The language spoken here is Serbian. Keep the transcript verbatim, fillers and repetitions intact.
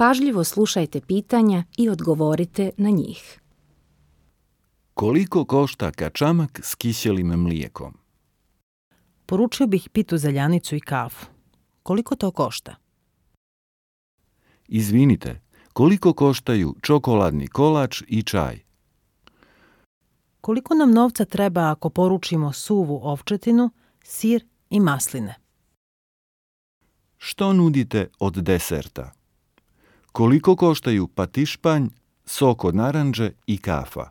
Pažljivo slušajte pitanja i odgovorite na njih. Koliko košta kačamak s kiselim mlijekom? Poručio bih pitu zaljanicu i kafu. Koliko to košta? Izvinite, koliko koštaju čokoladni kolač i čaj? Koliko nam novca treba ako poručimo suvu ovčetinu, sir i masline? Što nudite od deserta? Koliko koštaju patišpanj, sok od naranđe i kafa?